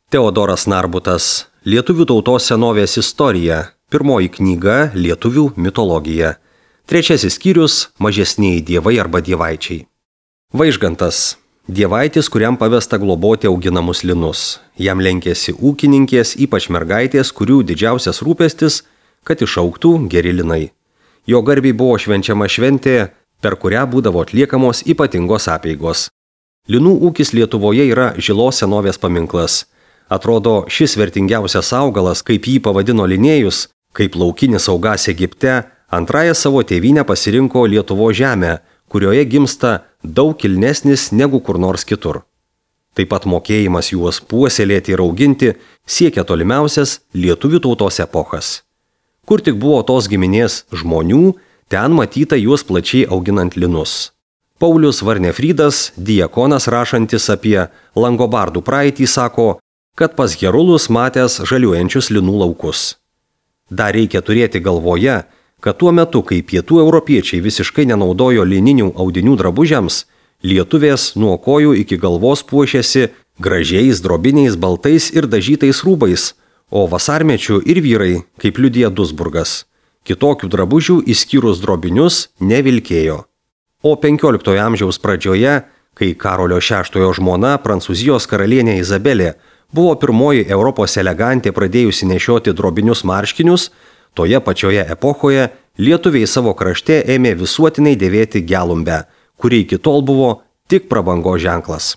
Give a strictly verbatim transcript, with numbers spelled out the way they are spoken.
Teodoras Narbutas, Lietuvių tautos senovės istorija, pirmoji knyga Lietuvių mitologija. Trečiasis skyrius – mažesnieji dievai arba dievaičiai. Vaižgantas – dievaitis, kuriam pavesta globoti auginamus linus. Jam lenkėsi ūkininkės, ypač mergaitės, kurių didžiausias rūpestis, kad išaugtų geri linai. Jo garbei buvo švenčiama šventė, per kurią būdavo atliekamos ypatingos apeigos. Linų ūkis Lietuvoje yra Žilos senovės paminklas. Atrodo, šis vertingiausias augalas, kaip jį pavadino Linėjus, kaip laukinis augas Egipte, antrąją savo tėvynę pasirinko Lietuvos žemę, kurioje gimsta daug kilnesnis negu kur nors kitur. Taip pat mokėjimas juos puoselėti ir auginti siekia tolimiausias lietuvių tautos epochas. Kur tik buvo tos giminės žmonių, ten matyta juos plačiai auginant linus. Paulius Varnefrydas, diakonas rašantis apie langobardų praeitį, sako, kad pas herulus matęs žaliuojančius linų laukus. Dar reikia turėti galvoje, kad tuo metu, kai pietų europiečiai visiškai nenaudojo lininių audinių drabužiams, lietuvės nuo kojų iki galvos puošėsi gražiais drobiniais baltais ir dažytais rūbais, o vasarmečių ir vyrai, kaip liudija Duisburgas, kitokių drabužių išskyrus drobinius nevilkėjo. O penkioliktojo amžiaus pradžioje, kai Karolio šeštojo žmona, Prancūzijos karalienė Izabelė, buvo pirmoji Europos elegantė pradėjusi nešioti drobinius marškinius, toje pačioje epochoje lietuviai savo krašte ėmė visuotinai dėvėti gelumbę, kuri iki tol buvo tik prabangos ženklas.